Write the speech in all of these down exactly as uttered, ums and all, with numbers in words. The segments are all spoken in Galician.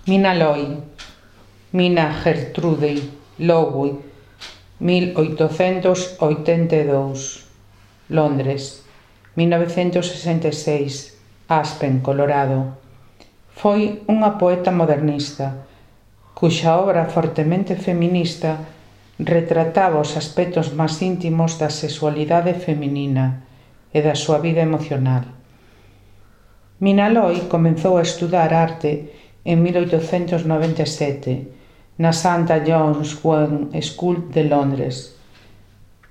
Mina Loy, Mina Gertrude Lowy, mil oitocentos oitenta e dous, Londres, mil novecentos sesenta e seis, Aspen, Colorado. Foi unha poeta modernista, cuxa obra fortemente feminista retrataba os aspectos máis íntimos da sexualidade feminina e da súa vida emocional. Mina Loy comezou a estudar arte en mil oitocentos noventa e sete na Santa John's Women's School de Londres.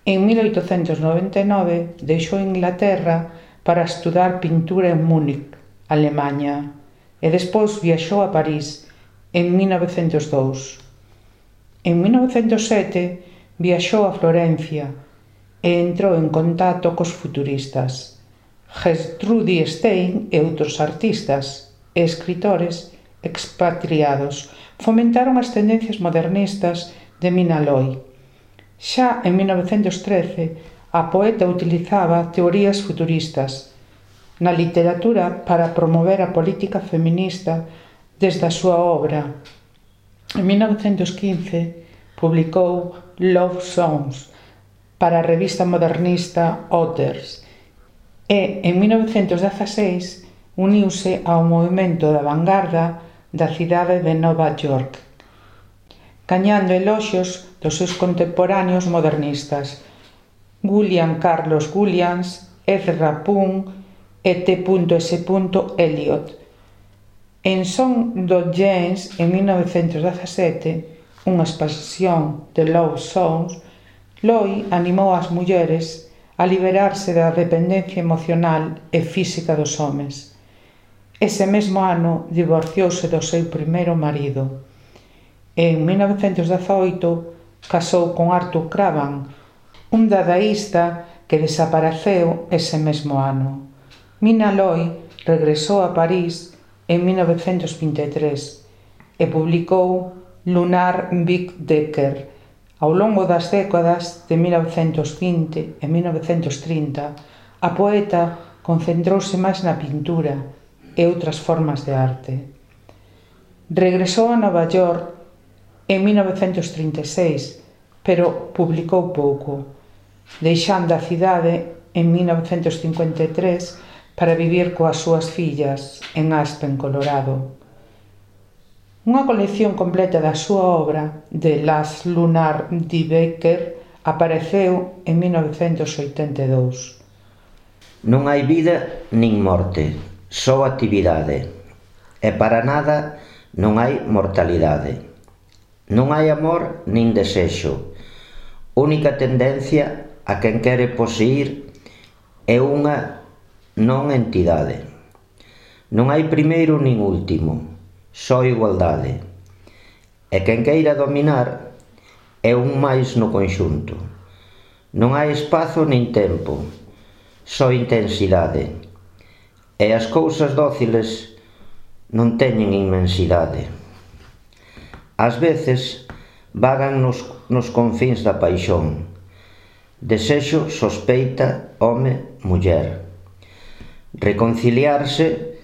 En mil oitocentos noventa e nove deixou Inglaterra para estudar pintura en Múnich, Alemanha, e despois viaxou a París en mil novecentos dous. En mil novecentos sete viaxou a Florencia e entrou en contacto cos futuristas. Gertrude Stein e outros artistas e escritores expatriados fomentaron as tendencias modernistas de Mina Loy. Xa en mil novecentos trece, a poeta utilizaba teorías futuristas na literatura para promover a política feminista desde a súa obra. En mil novecentos quince publicou Love Songs para a revista modernista Others e en mil novecentos dezaseis uniuse ao movimento da vanguarda da cidade de Nova York, gañando eloxios dos seus contemporáneos modernistas, William Carlos Williams, Ezra Pound e T S Eliot. En Son do James, en mil novecentos dezasete, unha expansión de Love Songs, Loy animou as mulleres a liberarse da dependencia emocional e física dos homes. Ese mesmo ano divorciouse do seu primeiro marido. En mil novecentos dezaoito casou con Arthur Cravan, un dadaísta que desapareceu ese mesmo ano. Mina Loy regresou a París en mil novecentos vinte e tres e publicou Lunar Big Decker. Ao longo das décadas de mil novecentos vinte e mil novecentos trinta, a poeta concentrouse máis na pintura e outras formas de arte. Regresou a Nova York en mil novecentos trinta e seis, pero publicou pouco, deixando a cidade en mil novecentos cincuenta e tres para vivir coas súas fillas en Aspen, Colorado. Unha colección completa da súa obra, de Las Lunar de Becker, apareceu en mil novecentos oitenta e dous. Non hai vida nin morte, só actividade, e para nada non hai mortalidade. Non hai amor nin desexo, única tendencia a quen quere poseer é unha non entidade. Non hai primeiro nin último, só igualdade, e quen queira dominar é un máis no conxunto. Non hai espazo nin tempo, só intensidade, e as cousas dóciles non teñen inmensidade. Ás veces vagan nos, nos confíns da paixón, desexo, sospeita, home, muller. Reconciliarse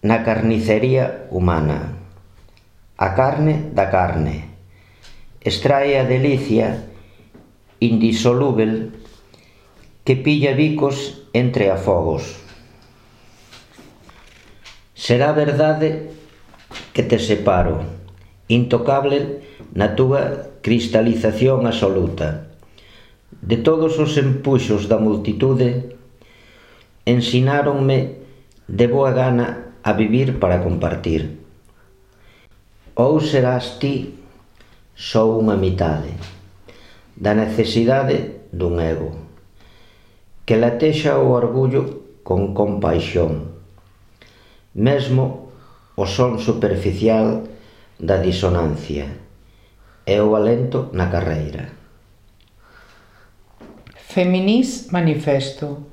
na carnicería humana, a carne da carne, extrae a delicia indisolúvel que pilla bicos entre afogos. Será verdade que te separo, intocable na túa cristalización absoluta. De todos os empuxos da multitude, ensináronme de boa gana a vivir para compartir. Ou serás ti só unha mitade da necesidade dun ego, que latexa o orgullo con compaixón, mesmo o son superficial da disonancia e o alento na carreira. Feminís Manifesto.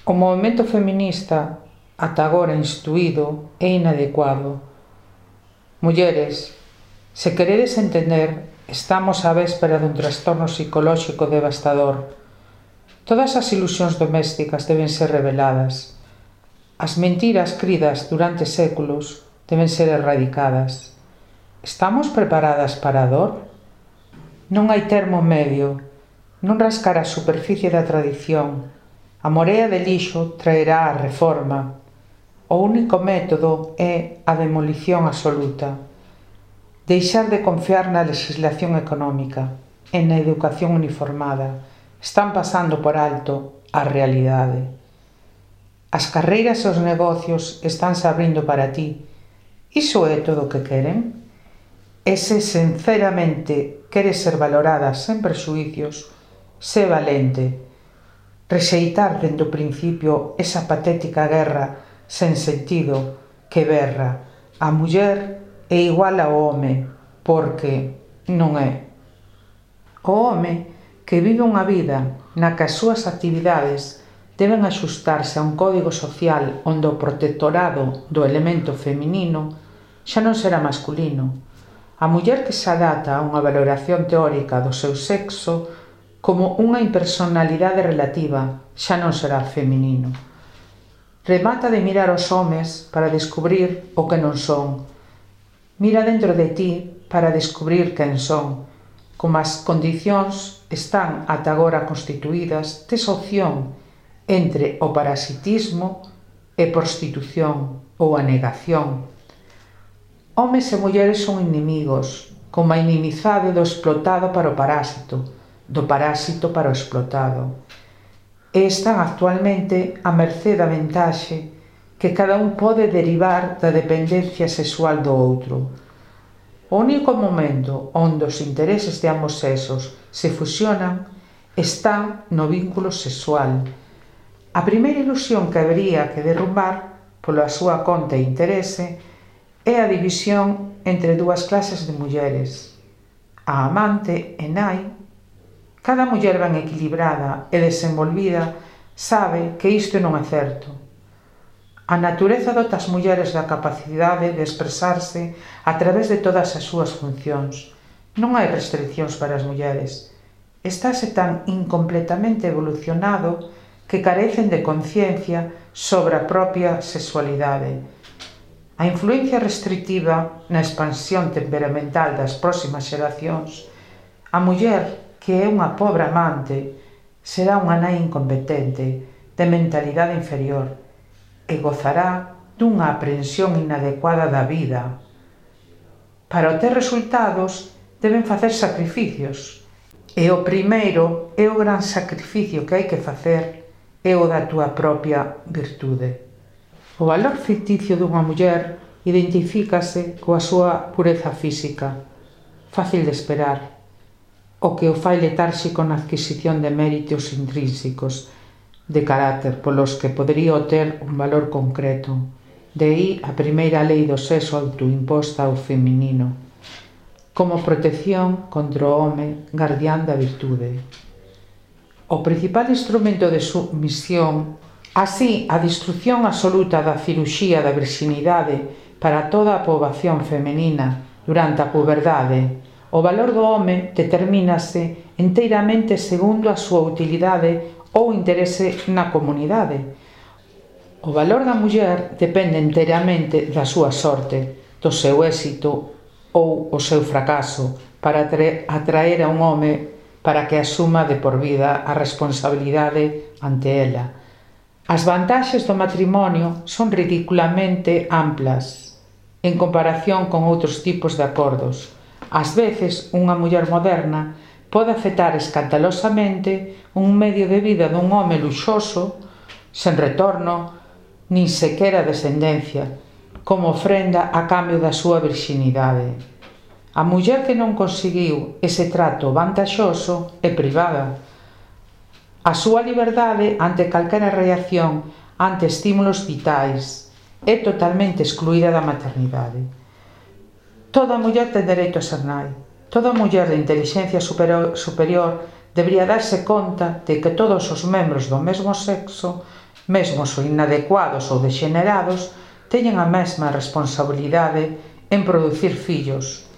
O movemento feminista, ata agora instruído, é inadecuado. Mulleres, se queredes entender, estamos á véspera dun trastorno psicolóxico devastador. Todas as ilusións domésticas deben ser reveladas. As mentiras cridas durante séculos deben ser erradicadas. Estamos preparadas para a dor? Non hai termo medio, non rascar a superficie da tradición. A morea de lixo traerá a reforma. O único método é a demolición absoluta. Deixar de confiar na legislación económica e na educación uniformada. Están pasando por alto a realidade. As carreiras e os negocios estánse abrindo para ti. Iso é todo o que queren? E se sinceramente queres ser valorada sen prexuicios, sé valente. Rexeitar dende o principio esa patética guerra sen sentido que berra: a muller é igual ao home, porque non é. O home que vive unha vida na que as súas actividades deben axustarse a un código social onde o protectorado do elemento feminino xa non será masculino. A muller que se adapta a unha valoración teórica do seu sexo como unha impersonalidade relativa xa non será feminino. Remata de mirar os homes para descubrir o que non son. Mira dentro de ti para descubrir quen son. Como as condicións están ata agora constituídas, tes opción entre o parasitismo e prostitución ou a negación. Homes e mulleres son inimigos, como a inimizade do explotado para o parásito, do parásito para o explotado. E están actualmente a mercé da ventaxe que cada un pode derivar da dependencia sexual do outro. O único momento onde os intereses de ambos sexos se fusionan está no vínculo sexual. A primeira ilusión que habería que derrumbar, pola súa conta e interese, é a división entre dúas clases de mulleres. A amante e nai. Cada muller ben equilibrada e desenvolvida sabe que isto non é certo. A natureza dota as mulleres da capacidade de expresarse a través de todas as súas funcións. Non hai restriccións para as mulleres. Estáse tan incompletamente evolucionado que carecen de conciencia sobre a propia sexualidade. A influencia restrictiva na expansión temperamental das próximas xeracións. A muller, que é unha pobre amante, será unha nai incompetente, de mentalidade inferior, e gozará dunha aprensión inadecuada da vida. Para obter resultados deben facer sacrificios, e o primeiro e o gran sacrificio que hai que facer é o da túa propia virtude. O valor ficticio dunha muller identifícase coa súa pureza física, fácil de esperar, o que o fai letárxico na adquisición de méritos intrínsecos, de carácter polos que podería obter un valor concreto. De aí a primeira lei do sexo autoimposta ao feminino, como protección contra o home gardián da virtude. O principal instrumento de submisión, así a destrucción absoluta da ciruxía da virxinidade para toda a poboación femenina durante a puberdade, o valor do home determínase enteiramente segundo a súa utilidade ou interese na comunidade. O valor da muller depende enteiramente da súa sorte, do seu éxito ou o seu fracaso, para atraer a un home para que asuma de por vida a responsabilidade ante ela. As vantaxes do matrimonio son ridiculamente amplas en comparación con outros tipos de acordos. Ás veces, unha muller moderna pode aceptar escandalosamente un medio de vida dun home luxoso, sen retorno, nin sequera descendencia, como ofrenda a cambio da súa virxinidade. A muller que non conseguiu ese trato vantaxoso é privada. A súa liberdade ante calquera reacción ante estímulos vitais é totalmente excluída da maternidade. Toda muller ten dereito a ser nai. Toda muller de inteligencia superior, superior debería darse conta de que todos os membros do mesmo sexo, mesmos ou inadecuados ou degenerados, teñen a mesma responsabilidade en producir fillos.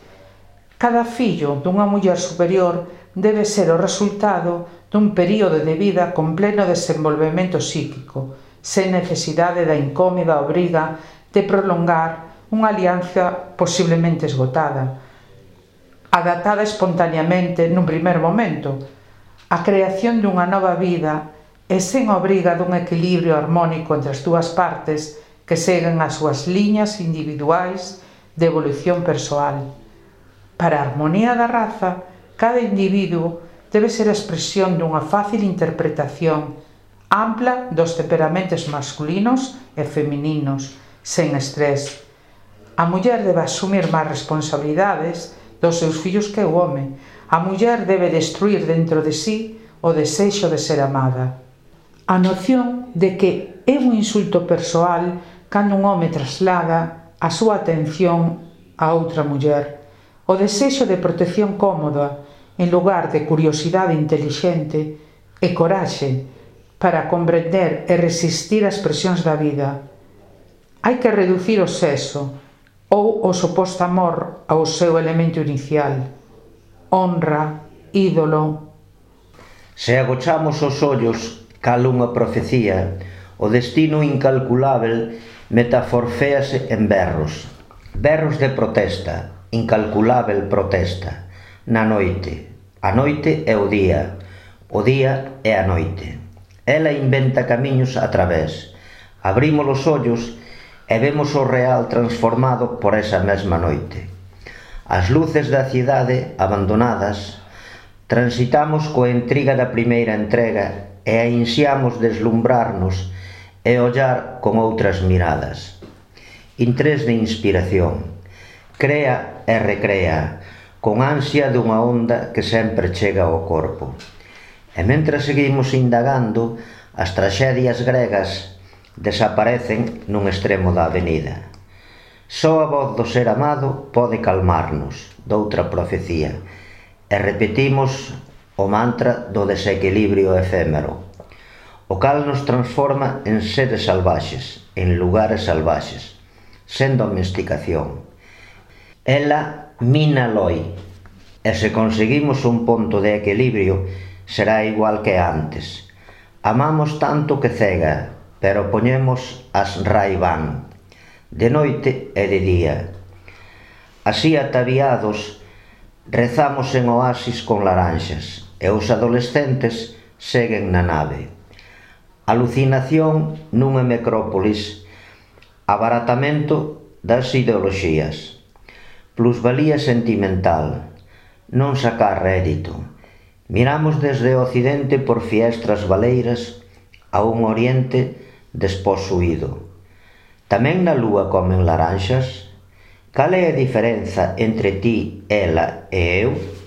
Cada fillo dunha muller superior debe ser o resultado dun período de vida con pleno desenvolvemento psíquico, sen necesidade da incómoda obriga de prolongar unha alianza posiblemente esgotada, adaptada espontaneamente nun primer momento, a creación dunha nova vida e sen obriga dun equilibrio harmónico entre as dúas partes que seguen as súas liñas individuais de evolución persoal. Para a armonía da raza, cada individuo debe ser a expresión dunha fácil interpretación ampla dos temperamentos masculinos e femininos, sen estrés. A muller debe asumir máis responsabilidades dos seus fillos que o home. A muller debe destruir dentro de sí o desexo de ser amada. A noción de que é un insulto persoal cando un home traslada a súa atención a outra muller. O desexo de protección cómoda en lugar de curiosidade intelixente e coraxe para comprender e resistir as presións da vida. Hai que reducir o sexo ou o suposto amor ao seu elemento inicial. Honra, ídolo. Se agochamos os ollos cal unha profecía, o destino incalculável metaforféase en berros. Berros de protesta, incalculável protesta. Na noite. A noite é o día. O día é a noite. Ela inventa camiños a través. Abrimos os ollos e vemos o real transformado por esa mesma noite. As luces da cidade abandonadas, transitamos coa intriga da primeira entrega e ansiamos deslumbrarnos e ollar con outras miradas. Intres de inspiración, crea e recrea, con ansia dunha onda que sempre chega ao corpo. E mentre seguimos indagando, as traxedias gregas desaparecen nun extremo da avenida. Só a voz do ser amado pode calmarnos, doutra profecía, e repetimos o mantra do desequilibrio efémero, o cal nos transforma en seres salvaxes, en lugares salvaxes, sen domesticación. Ela mina loi, e se conseguimos un ponto de equilibrio, será igual que antes. Amamos tanto que cega, pero poñemos as Ray-Ban, de noite e de día. Así ataviados, rezamos en oasis con laranxas, e os adolescentes seguen na nave. Alucinación nunha necrópolis, abaratamento das ideoloxías, plusvalía sentimental, non sacar rédito. Miramos desde o occidente por fiestras valeiras a un oriente desposuído. Tamén na lúa comen laranxas? Cal é a diferenza entre ti, ela e eu?